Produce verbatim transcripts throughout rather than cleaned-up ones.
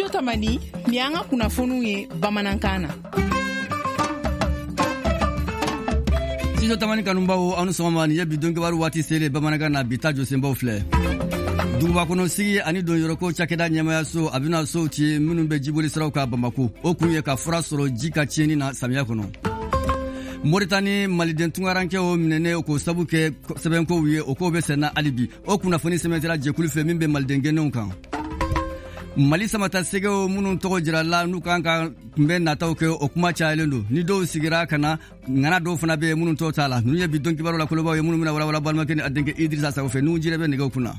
Studio Tamani, ni an ka kunnafoniw ye bamanankan na. Studio Tamani kanubaw, aw ni sɔgɔma. Nin ye bi don kibaru waati selen bamanankan na. Bi ta jɔsenbaw filɛ: duguba kɔnɔ sigi ani donyɔrɔko cakɛda ɲɛmayaso, a bɛna sow ci minnu bɛ jiboli siraw kan Bamako. O kun ye ka fura sɔrɔ ji ka tiɲɛni na samiya kɔnɔ. Moritani maliden tunkarankɛw minɛnen k'o sabu kɛ sɛbɛnkow ye, o kow bɛ senna hali bi. O kunnafoni sɛbɛntira jɛkulu fɛ min bɛ maliden gɛnnenw kan. Mali samata sɛgɛw minnu tɔgɔ jirala n'u kan ka kunbɛn nataw kɛ, o kuma cayalen don. Ni dɔw sigira ka na, ŋana dɔw fana bɛ yen minnu tɔw t'a la. Ninnu ye bi don kibaru la kolobaw ye minnu bɛna walawala balimakɛ ni a denkɛ Idrissa Sago fɛ n'u jirɛ bɛ nɛgɛw kunna.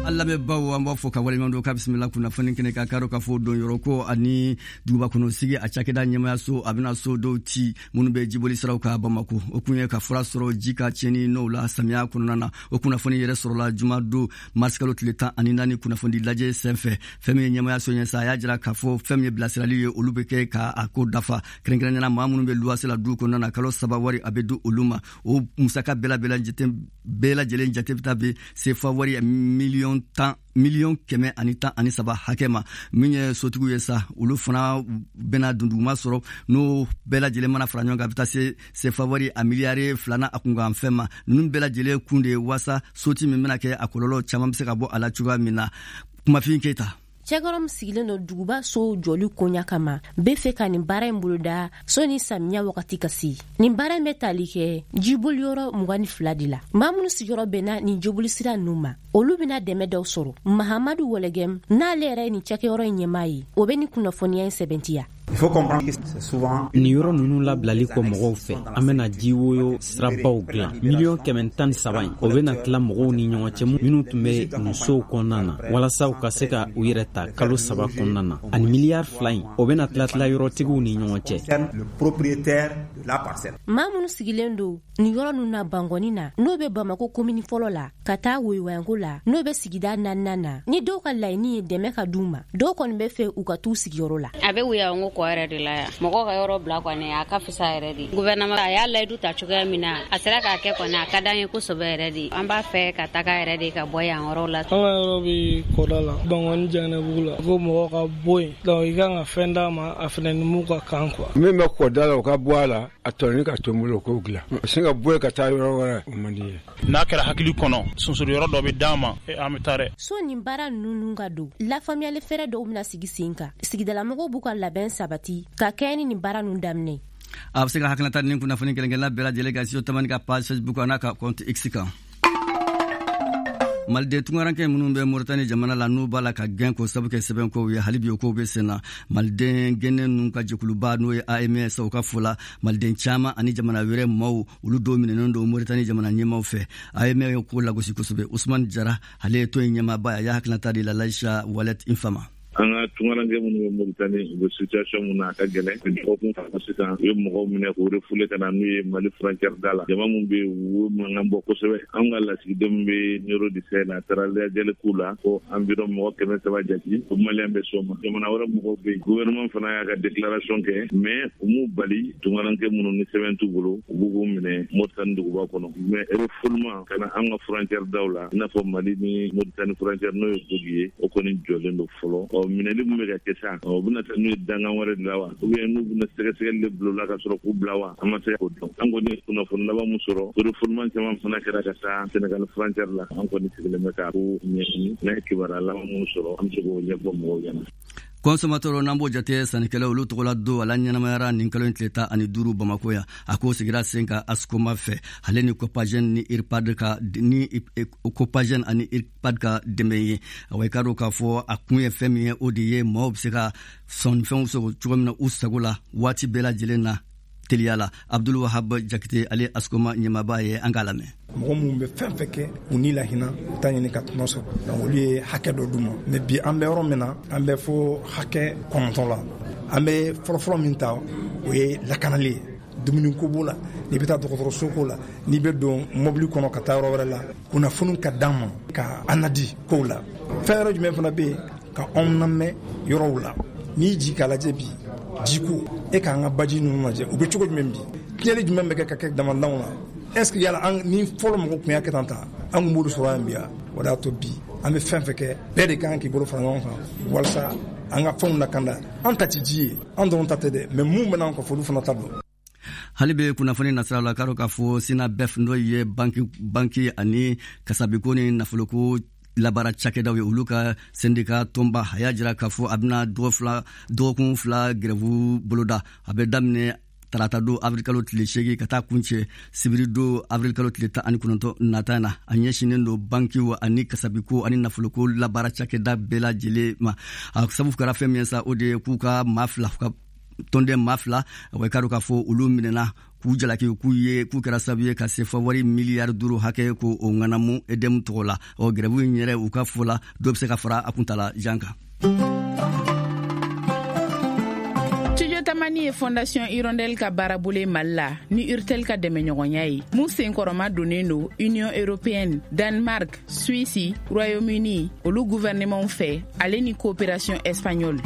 An lamɛnbaw, an b'a fɔ ka waleɲuman dɔn k'a bisimila kunnafoni kɛnɛ kan. Karo ka fɔ don yɔrɔ ko ani duguba kɔnɔ sigi a cakɛda ɲɛmayaso, a bɛna so dɔw ci minnu bɛ jiboli siraw kan Bamako. O kun ye ka fura sɔrɔ ji ka tiɲɛni n'o la samiya kɔnɔna na. O kunnafoni yɛrɛ sɔrɔla juma don marisikalo tile tan ani naani kunnafoni lajɛ senfɛ. Fɛn min ye ɲɛmayaso ɲɛ sa, a y'a jira k'a fɔ fɛn min ye bilasirali ye, olu bɛ kɛ ka a ko dafa. Kɛrɛnkɛrɛnnenya, maa minnu bɛ luwase la du kɔnɔna na, kalo saba wari a bɛ di olu ma. O musaka bɛɛ lajɛlen jate bɛ taa bɛ sefa wari miliyɔn tan miliyɔn kɛmɛ ani tan ani saba hakɛ ma. Min ye sotigiw ye sa, olu fana bɛna dunduguma sɔrɔ. N'o bɛɛ lajɛlen mana fara ɲɔgɔn kan, a bɛ taa se sefa wari a miliyari filanan a kunkan fɛn ma. Ninnu bɛɛ lajɛlen kun de ye waasa soti min bɛna kɛ, a kɔlɔlɔ caman bɛ se ka bɔ a la cogoya min na. Kumafin Keyita. Cɛkɔrɔ min sigilen don duguba sow jɔli koɲa kama, bɛ fɛ ka nin baara in boloda sɔni samiya wagati ka se. Nin baara in bɛ tali kɛ jiboliyɔrɔ mugan ni fila de la. Maa minnu sigiyɔrɔ bɛnna nin jibolisira ninnu ma, olu bɛna dɛmɛ dɔw sɔrɔ. Mahamadu Wɔlɛgɛm, n'ale yɛrɛ ye nin cakɛyɔrɔ in ɲɛmaa ye, o bɛ nin kunnafoniya in sɛbɛntiya. Nin yɔrɔ ninnu labilali kɔ mɔgɔw fɛ, an bɛna jiwoyo sirabaw dilan. Miliyɔn kɛmɛ tan ni saba in, o bɛna tila mɔgɔw ni ɲɔgɔn cɛ minnu tun bɛ nin sow kɔnɔna na, walasa u ka se ka u yɛrɛ ta kalo saba kɔnɔna na. Ani miliyari fila in, o bɛna tila tila yɔrɔtigiw ni ɲɔgɔn cɛ. Maa minnu sigilen don nin yɔrɔ ninnu na Bangɔni na, n'o bɛ Bamako komini fɔlɔ la, ka taa Woyowayanko la, n'o bɛ sigida naaninan na, ni dɔw ka laɲini ye dɛmɛ ka d'u ma, dɔw kɔni bɛ fɛ u ka t'u sigiyɔrɔ la. A bɛ Woyowayanko kɔ yɛrɛ de la yan. Mɔgɔw ka yɔrɔ bila kɔni, a ka fisa yɛrɛ de. Gouvernement a y'a layidu ta cogoya min na, a sera k'a kɛ kɔni, a ka d'an ye kosɛbɛ yɛrɛ de. An b'a fɛ ka taga yɛrɛ de, ka bɔ yan yɔrɔ la. An ka yɔrɔ bɛ kɔda la, Bangɔni Jɛnɛbugu la. Ko mɔgɔw ka bɔ yen, donc i kan ka fɛn d'a ma, a fɛnɛ ni mun ka kan quoi. Min bɛ kɔda la, o ka bɔ a la, a tɔni ka to n bolo k'o dilan. Sin ka bɔ yen ka taa yɔrɔ wɛrɛ, o man di ye. N'a kɛra hakili kɔnɔ, sonsoro yɔrɔ dɔ bɛ d'an ma, an bɛ taa dɛ. So nin baara ninnu ka don, lafaamuyali fɛɛrɛ dɔw bɛna sigi sen kan. Sigidalamɔgɔw b'u ka labɛn sabati ka kɛɲɛ ni nin baara ninnu daminɛ. A bɛ se ka hakilinata ni kunnafoni kelen-kelenna bɛɛ lajɛlen kan Studio Tamani ka page Facebook a n'a ka compte X kan. Maliden tunkarankɛ minnu bɛ Moritani jamana la, n'u b'a la ka gɛn k'o sabu kɛ sɛbɛnkow ye, hali bi o kow bɛ sen na. Maliden gɛnnen ninnu ka jɛkuluba, n'o ye A M S, o ka fɔ la, maliden caman ani jamana wɛrɛ maaw, olu dɔw minɛnen don Moritani jamana ɲɛmaw fɛ. A M S ye ko lagosi kosɛbɛ. Usumani Jara, ale ye tɔn in ɲɛmaaba ye, a y'a hakilinata di la Laïcha Walet Infama. An ka tunkaranke minnu bɛ Moritani, u bɛ situation mun na, a ka gɛlɛn. Dɔgɔkun fila sisan, u ye mɔgɔw minɛ k'u refoulé ka na n'u ye Mali frontière da la. Jama min bɛ yen, u mankan bɔ kosɛbɛ. An ka lasigiden min bɛ Nioro du Sahel, a taara lajɛli k'u la ko environ mɔgɔ kɛmɛ saba jate ko maliyɛn bɛ s'o ma. Jamana wɛrɛ mɔgɔw bɛ yen. Gouvernement fana y'a ka déclaration kɛ, mais u m'u bali tunkaranke minnu ni sɛbɛn t'u bolo, u b'u k'u minɛ Moritani duguba kɔnɔ. Mais refoulement ka na an ka frontière daw la, i n'a fɔ Mali ni Moritani frontière, n'o ye Bogi ye, o kɔni jɔlen don fɔlɔ. Ɔ minɛli min bɛ ka kɛ sa, o bɛna taa n'u ye dangan wɛrɛ de la wa, ou bien n'u bɛna sɛgɛsɛgɛli de bila u la ka sɔrɔ k'u bila wa, an ma se k'o dɔn. An kɔni ye kunnafoni laban min sɔrɔ, refoulement caman fana kɛra ka taa Sénégal frontière la. An kɔni sigilen bɛ k'a ko ɲɛɲini. N'an ye kibaruya laban minnu sɔrɔ, an bɛ se k'o ɲɛfɔ mɔgɔw ɲɛna. Consommateur, n'an b'o jate sannikɛlaw, olu tɔgɔla don, ala ɲɛnamayara nin kalo in tile tan ani duuru Bamako yan. A ko sigira sen kan Ascoma fɛ, ale ni Copagène ni IRPAD ka ni Copagène ani IRPAD ka dɛmɛ ye. Awa, i ka dɔn k'a fɔ a kun ye fɛn min ye, o de ye maaw bɛ se ka sɔnnifɛnw sɔrɔ cogo min na u sago la waati bɛɛ lajɛlen na teliya la. Abdul Wahab Jakite, ale Ascoma ɲɛmaaba ye, an k'a lamɛn. Mɔgɔ minnu bɛ fɛn fɛn kɛ u ni lahinɛ, u t'a ɲini ka tɔnɔ sɔrɔ, donc olu ye hakɛ dɔ d'u ma. Mais bi, an bɛ yɔrɔ min na, an bɛ fo hakɛ kɔnɔntɔn la. An bɛ fɔlɔfɔlɔ min ta, o ye lakanali ye. Dumuniko b'o la, n'i bɛ taa dɔgɔtɔrɔso ko la, n'i bɛ don mobili kɔnɔ ka taa yɔrɔ wɛrɛ la, kunnafoni ka d'an ma ka an nadi kow la. Fɛn wɛrɛ jumɛn fana bɛ yen ka anw lamɛn yɔrɔw la? N'i ji k'a lajɛ bi, jiko, e k'an ka baji ninnu lajɛ, u bɛ cogo jumɛn bi? Tiɲɛni jumɛn bɛ kɛ ka kɛ damandanw na? Est ce que yala an ni fɔlɔ mɔgɔw tun y'a kɛ tan tan, an tun b'olu sɔrɔ yan bi? O de y'a to bi An bɛ fɛn fɛn kɛ, bɛɛ de kan k'i bolo fara ɲɔgɔn kan walasa an ka fɛnw lakanda. An ta ti ji ye, an dɔrɔn ta tɛ dɛ, mais mun bɛna an kɔfɛ, olu fana ta don. Hali bɛ kunnafoni nasira la, k'a k'a fɔ SYNABEF, n'o ye banki banki ani kasabiko ni nafoloko labaara cakɛdaw ye, olu ka syndicat tɔnba, a y'a jira k'a fɔ a bɛna dɔgɔkun fila grève boloda. A bɛ daminɛ tarata don avril kalo tile seegin ka taa kuncɛ sibiri don avril kalo tile tan ani kɔnɔntɔn nata na. A ɲɛsinnen don bankiw ani kasabiko ani nafoloko labaara cakɛda bɛɛ lajɛlen ma. A sababu kɛra fɛn min ye sa, o de ye k'u ka maa fila, ka tɔnden maa fila, wa i k'a dɔn k'a fɔ olu minɛna k'u jalaki k'u ye k'u kɛra sababu ye ka sefa wari miliyari duuru hakɛ ko o ŋanamu E D M tɔgɔ la. Ɔ grève in yɛrɛ, u ka fɔ la, dɔ bɛ se ka fara a kuntala jan kan. Tamani ye Fondation Hirondelle ka baarabolo Mali la ni Urtel ka dɛmɛɲɔgɔnya ye, mun senkɔrɔma donnen don Union européenne, Danemark, Suisse, Royaume-Uni olu gouvernement fɛ, ale ni coopération espagnole.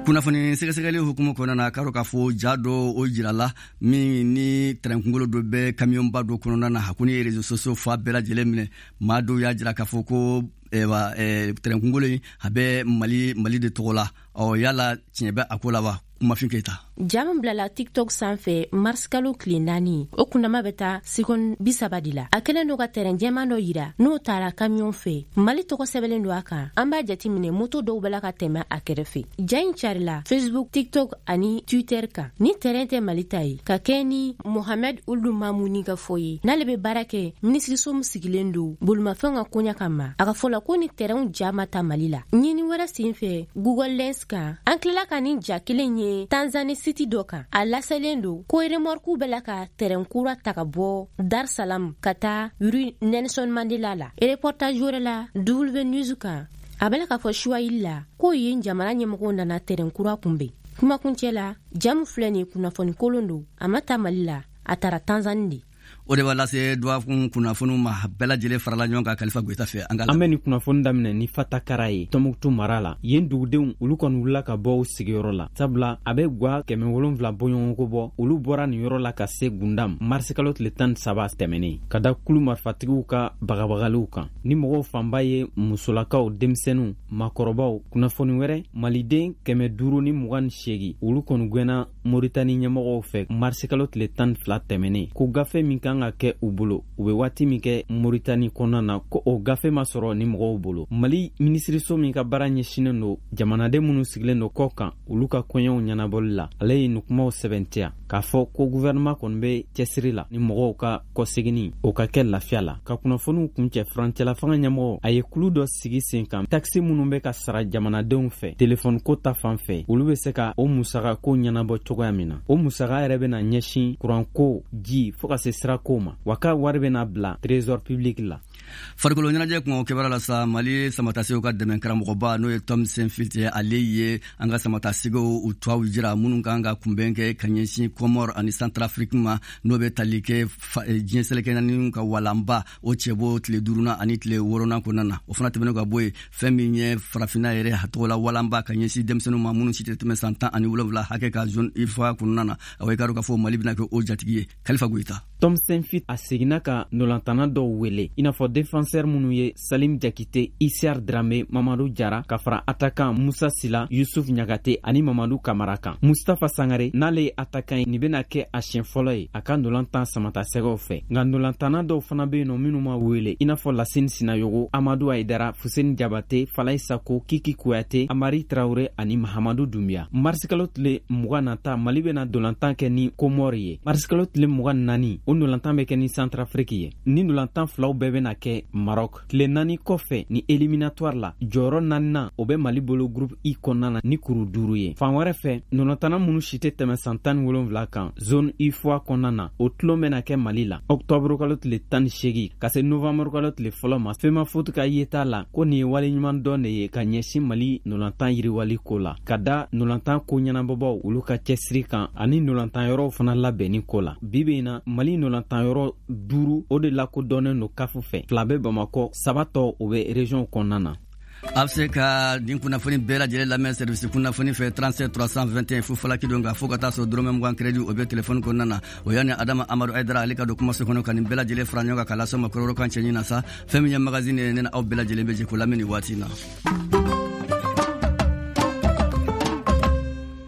Kunnafoni sɛgɛsɛgɛli hukumu kɔnɔna na, k'a dɔn k'a fɔ ja dɔ o jirala min ni tɛrɛn kunkolo dɔ bɛ kamiyɔnba dɔ kɔnɔna na. A ko ni ye réseaux sociaux fa bɛɛ lajɛlen minɛ, maa dɔw y'a jira k'a fɔ ko tɛrɛn kunkolo in a bɛ Mali Mali de tɔgɔ la. Ɔ yala tiɲɛ bɛ a ko la wa? Kumafin Keyita. Ja min bilala TikTok sanfɛ marisikalo tile naani, o kundama bɛ taa seconde bi saba de la. A kɛlen don ka tɛrɛn jɛman dɔ yira n'o taara kamiyɔn fɛ, Mali tɔgɔ sɛbɛnlen don a kan. An b'a jateminɛ, moto dɔw bɛ la ka tɛmɛ a kɛrɛfɛ. Ja in carila Facebook, TikTok ani Twitter kan. Ni tɛrɛn tɛ Mali ta ye, ka kɛ ni Mohamed Ulu Mamuni ka fɔ ye, n'ale bɛ baara kɛ minisiriso min sigilen don bolimafɛnw ka koɲa kama, a ka fɔ la ko ni tɛrɛnw ja ma ta Mali la. Ɲini wɛrɛ sen fɛ Google Lens kan, an tilala ka nin ja kelen ye Tanzanie siti dɔ kan. A laselen don ko remorque bɛ la ka tɛrɛn kura ta ka bɔ Dar Salam ka taa rue Nelson Mandela la. Reportage wɛrɛ la W News kan, a bɛ la k'a fɔ Swahili la ko yen jamana ɲɛmɔgɔw nana tɛrɛn kura kunbɛn. Kumakuncɛ la, jamu filɛ nin ye, kunnafoni kolon don, a ma ta Mali la, a taara Tanzanie de. O de b'a lase dɔgɔkun kunnafoniw ma, bɛɛ lajɛlen farala ɲɔgɔn kan Kalifa Goyita fɛ. An bɛ nin kunnafoni daminɛ ni Fatakara ye Tɔnbukutu mara la. Yen dugudenw olu kɔni wulila ka bɔ u sigiyɔrɔ la, sabula a bɛ gwa kɛmɛ wolonfila bɔɲɔgɔnko bɔ. Olu bɔra nin yɔrɔ la ka se Gundam marisikalo tile tan ni saba tɛmɛnen, ka da kulu marifatigiw ka bagabagaliw kan. Ni mɔgɔw fanba ye musolakaw, denmisɛnninw, maakɔrɔbaw. Kunnafoni wɛrɛ, maliden kɛmɛ duuru ni mugan ni seegin olu kɔni gɛnna Moritani ɲɛmɔgɔw fɛ marisikalo tile tan ni fila tɛmɛnen, ko gafe min kan ka kɛ u bolo u bɛ waati min kɛ Moritani kɔnɔna na, ko o gafe ma sɔrɔ ni mɔgɔw bolo. Mali minisiriso min ka baara ɲɛsinnen don jamanaden minnu sigilen don kɔ kan olu ka koɲɛw ɲɛnabɔli la, ale ye nin kumaw sɛbɛntiya k'a fɔ ko gouvernement kɔni bɛ cɛsiri la ni mɔgɔw ka kɔseginni o ka kɛ lafiya la. Ka kunnafoniw kuncɛ, furancɛla fanga ɲɛmɔgɔ a ye kulu dɔ sigi sen kan, takisi minnu bɛ ka sara jamanadenw fɛ telefɔni ko ta fan fɛ, olu bɛ se ka o musaka ko ɲɛnabɔ cogoya min na. O musaka yɛrɛ bɛna ɲɛsin kuranko, ji, fo ka se sirako ma, wa ka wari bɛna bila trésor public la. Farikolo ɲɛnajɛ kungo kibaruya la sa, Mali samatasew ka dɛmɛ karamɔgɔba, n'o ye Tom Saintfiet ye, ale ye an ka samatasew u tɔw jira minnu kan ka kunbɛn kɛ ka ɲɛsin Comore ani Centrafrique ma, n'o bɛ tali kɛ diɲɛ seleke naani ka walanba o cɛbɔ tile duurunan ani tile wɔɔrɔnan kɔnɔna na. O fana tɛmɛnen ka bɔ yen, fɛn min ye farafinna yɛrɛ a tɔgɔ la walanba ka ɲɛsin denmisɛnninw ma minnu si tɛ tɛmɛ san tan ani wolonwula hakɛ ka zone I F A kɔnɔna na, awɔ, i k'a dɔn k'a fɔ Mali bɛna kɛ o jatigi ye. Kalifa Goyita. Tom Saintfiet a seginna ka nolantana dɔw wele, i n'a fɔ défenseur minnu ye Salim Jakite, Isiar Drame, Mamadu Jara, ka fara attaquant Musa Sila, Yusuf Ɲagate ani Mamadu Kamara kan. Mustafa Sangare, n'ale ye attaquant ye, nin bɛna kɛ a siɲɛ fɔlɔ ye a ka nolantan samatasɛgɛw fɛ. Nka nolantana dɔw fana bɛ yen nɔ minnu ma wele, i n'a fɔ Lasine Sinayogo, Amadu Ayidara, Fuseni Jabate, Falayi Sako, Kiki Kuyate, Amari Traore ani Mahamadu Dumbiya. Marisikalo tile mugan nata, Mali bɛna dolantan kɛ ni Komɔri ye. Marisikalo tile mugan naani, o nolantan bɛ kɛ ni Centrafrique ye. Ni nolantan filaw bɛɛ bɛna kɛ Maroc. Tile naani kɔfɛ ni éliminatoire la, jɔyɔrɔ naaninan o bɛ Mali bolo groupe I kɔnɔna na ni kuru duuru ye. Fan wɛrɛ fɛ, nolantana minnu si tɛ tɛmɛ san tan ni wolonwula kan zone UFOA kɔnɔna na, o tulon bɛna kɛ Mali la octobre kalo tile tan ni seegin ka se novembre kalo tile fɔlɔ ma. FEMAFOOT ka yeta la ko nin ye waleɲuman dɔn de ye ka ɲɛsin Mali nolantan yiriwali ko la, ka da nolantan ko ɲɛnabɔbaw olu ka cɛsiri kan ani nolantan yɔrɔw fana labɛnni ko la. Bi bi in na, Mali nolantan yɔrɔ duuru o de lakodɔnnen don CAF fɛ, fila bɛ Bamakɔ, saba tɔ o bɛ région kɔnɔna na. A bɛ se ka nin kunnafoni bɛɛ lajɛlen lamɛn service kunnafoni fɛ trente-sept trois cent vingt et un fu falaki don kan, fo ka taa sɔrɔ dɔrɔmɛ mugan crédit o bɛ téléphone kɔnɔna na. O yanni Adama Amadu Aydara ale ka don kumaso kɔnɔ ka nin bɛɛ lajɛlen fara ɲɔgɔn kan k'a lase ma kɔrɔkɔrɔ kan cɛɲi na sa. Fɛn min ye magazine ye, ne ni aw bɛɛ lajɛlen bɛ jɛ k'o lamɛn nin waati in na.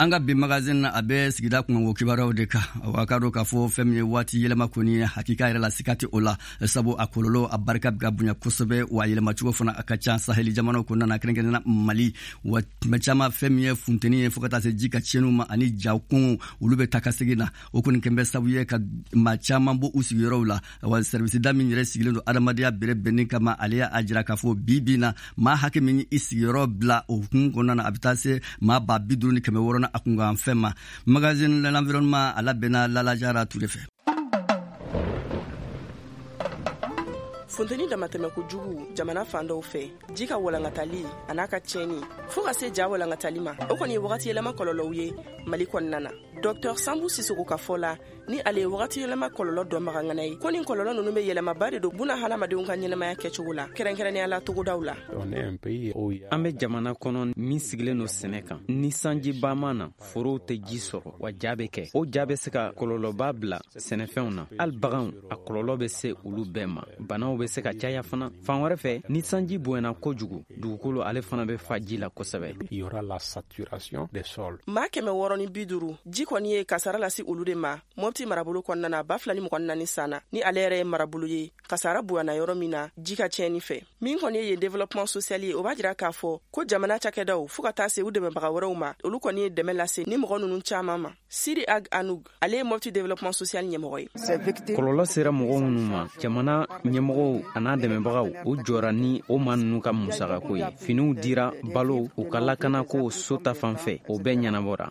An ka bi magazine na, a bɛ sigida kunkanko kibaruyaw de kan. A ka dɔn k'a fɔ fɛn min ye waati yɛlɛma kɔni ye, hakika yɛrɛ la sika tɛ o la, sabu a kɔlɔlɔ a barika bɛ ka bonya kosɛbɛ, wa a yɛlɛmacogo fana a ka ca saheli jamanaw kɔnɔna na, kɛrɛnkɛrɛnnenya la Mali. Wa tuma caman fɛn min ye funteni ye, fo ka taa se ji ka tiɲɛniw ma ani ja kɔngɔ, olu bɛ taa ka segin na. O kɔni kɛn bɛ sababu ye ka maa caman bɔ u sigiyɔrɔw la. Wa service da min yɛrɛ sigilen don adamadenya bɛrɛ bɛnni kama, ale y'a jira k'a fɔ bi bi in na, maa hakɛ min i sigiyɔrɔ bila o hukumu kɔnɔna na, a bɛ taa se maa ba bi duuru ni kɛmɛ wɔɔrɔ na a kunkan fɛn ma. Magazine de l'environnement a labɛnna Lala Jara Ture fɛ. Funteni damatɛmɛ kojugu jamana fan dɔw fɛ, ji ka walankatali a n'a ka tiɲɛni fɔɔ ka se ja walankatali ma, o kɔni ye wagati yɛlɛma kɔlɔlɔw ye Mali kɔnɔna na. Dɔktɔr Sanbu Sisoko ka fɔ la, ni ale ye wagati yɛlɛma kɔlɔlɔ dɔnbaga ŋana ye, ko nin kɔlɔlɔ nunu be yɛlɛmaba de don buna hadamadenw ka ɲɛnamaya kɛcogo la, kɛrɛnkɛrɛnnenya la togodaw la. An be jamana kɔnɔ min sigilen don sɛnɛ kan. Ni sanjiba ma na, forow tɛ ji sɔrɔ, wa ja bɛ kɛ. O ja bɛ se ka kɔlɔlɔba bila sɛnɛfɛnw na, hali baganw, a kɔlɔlɔ bɛ se olu bɛɛ ma. Banaw bɛ se ka caya fana. Fan wɛrɛ fɛ, ni sanji bonyana kojugu, dugukolo ale fana bɛ fa ji la kosɛbɛ. Maa kɛmɛ wɔɔrɔ ni bi duuru, ji kɔni ye kasara lase olu de ma Mɔpti marabolo kɔnɔna na ba fila ni mugan ni naani san na, ni ale yɛrɛ ye marabolo ye kasara bonyana yɔrɔ min na ji ka tiɲɛni fɛ. Min kɔni ye yen développement social ye, o b'a jira k'a fɔ ko jamana cakɛdaw fɔɔ ka taa se u dɛmɛbaga wɛrɛw ma, olu kɔni ye dɛmɛ lase ni mɔgɔ ninnu caaman ma. Siri Ag Anug, ale ye Mɔpti développement social ɲɛmɔgɔ ye. Kɔlɔlɔ sera mɔgɔ minnu ma, jamana ɲɛmɔgɔw an'a dɛmɛbagaw, o jɔra ni o maa ninnu ka musakako ye. Finiw dira, balo, u ka lakanako, so ta fan fɛ, o bɛɛ ɲɛnabɔra.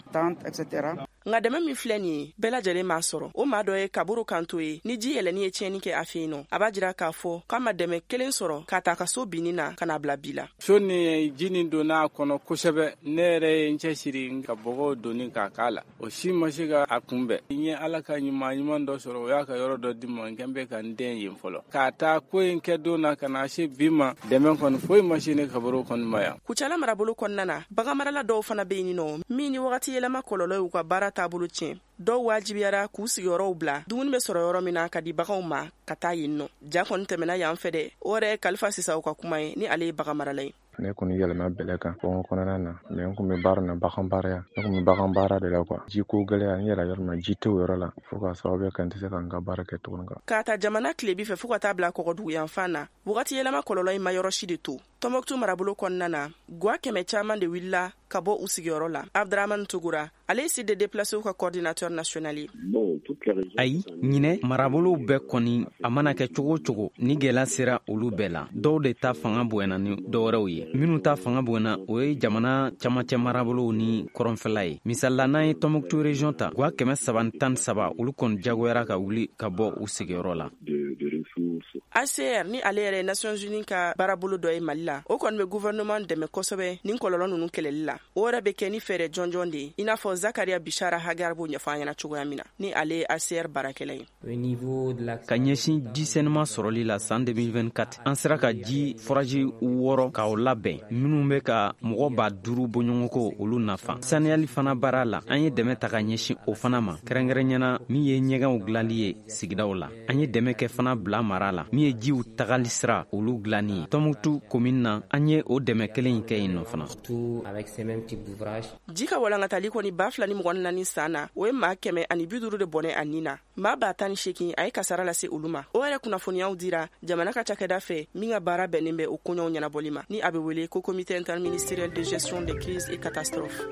Nka dɛmɛ min filɛ nin ye, bɛɛ lajɛlen m'a sɔrɔ. O maa dɔ ye Kaburu Kanto ye, ni ji yɛlɛnni ye tiɲɛni kɛ a fɛ yen nɔ. A b'a jira k'a fɔ k'a ma dɛmɛ kelen sɔrɔ k'a ta ka so binni na ka n'a bila bi la. So ni ji nin donna a kɔnɔ kosɛbɛ. Ne yɛrɛ ye n cɛsiri ka bɔgɔw donni k'a k'a la, o si ma se ka a kunbɛn. N ye Ala ka ɲuman ɲuman dɔ sɔrɔ, o y'a ka yɔrɔ dɔ di ma, n kɛn bɛ ka n den yen fɔlɔ. K'a ta ko in kɛ don na ka na se bi ma, dɛmɛ kɔni foyi ma se ne Kaburu kɔni ma yan. Kucala marabolo kɔnɔna na, baganmarala dɔw fana bɛ yen nɔ min ni wagati yɛlɛma kɔlɔlɔ y'u ka baara taabolo tiɲɛ. Dɔw wajibiyara k'u sigiyɔrɔw bila dumuni bɛ sɔrɔ yɔrɔ min na ka di baganw ma ka taa yen nɔ. Ja kɔni tɛmɛna yan fɛ dɛ. O yɛrɛ ye Kalifa Sisaw ka kuma ye, ni ale ye bagan marala ye. Ne kɔni yɛlɛma bɛlɛ kan kɔngɔ kɔnɔna na, mɛ n kun bɛ baara na bagan baara yan. Ne kun bɛ bagan baara de la kuwa. Ji ko gɛlɛya, n yɛlɛ yɔrɔ min na, ji tɛ o yɔrɔ la, fo k'a sababu kɛ n tɛ se ka n ka baara kɛ tuguni kan. K'a ta jamana tilebi fɛ fo ka taa bila kɔgɔdugu yanfan na, wagati yɛlɛma kɔlɔlɔ in ma yɔrɔ si de to. Tɔnbɔkutu marabolo kɔnɔna na, gwa kɛmɛ caman de wulila ka bɔ u sigiyɔrɔ la. Abdramane Tugura, ale ye site de déplacés ka coordinateur national ye. Ayi, ɲinɛ marabolow bɛɛ kɔni, a mana kɛ cogo o cogo, ni gɛlɛya sera olu bɛɛ la. Dɔw de ta fanga bonyana ni dɔwɛrɛw ye. Minnu ta fanga bonyana, o ye jamana camancɛ marabolow ni kɔrɔnfɛla ye. Misali la, n'an ye Tɔnbɔkutu région ta, gwa kɛmɛ saba ni tan ni saba, olu kɔni jagoyara ka wuli ka bɔ u sigiyɔrɔ la. H C R, ni ale yɛrɛ ye Nations Unies ka baarabolo dɔ ye Mali la, o kɔni bɛ gouvernement dɛmɛ kosɛbɛ nin kɔlɔlɔ ninnu kɛlɛli la. O yɛrɛ bɛ kɛ ni fɛɛrɛ jɔnjɔn de ye, i n'a fɔ Zakaria Bishara Hagar b'o ɲɛfɔ an ɲɛna cogoya min na, ni ale ye H C R baarakɛla ye. Ka ɲɛsin ji sɛnɛma sɔrɔli la, san deux mille vingt-quatre, an sera ka ji forage wɔɔrɔ k'o labɛn, minnu bɛ ka mɔgɔ ba duuru bɔɲɔgɔnko olu nafa. Saniyali fana baara la, an ye dɛmɛ ta ka ɲɛsin o fana ma, kɛrɛnkɛrɛnyana min ye ɲɛgɛnw dilanli ye sigidaw la. An ye dɛmɛ kɛ fana bila mara la, min ye jiw tagali sira olu dilanni ye. Tɔnbukutu commune na, an ye o dɛmɛ kelen in kɛ yen nɔ fana. Ji ka walankatali kɔni ba fila ni mugan ni naani san na, o ye maa kɛmɛ ani bi duuru de bɔnɛ a nin na. Maa ba tan ni seegin, a ye kasara lase olu ma. O yɛrɛ kunnafoniyaw dira jamana ka cakɛda fɛ min ka baara bɛnnen bɛ o koɲɔw ɲɛnabɔli ma, ni a bɛ wele ko Comité interministériel de gestion des crises et catastrophes.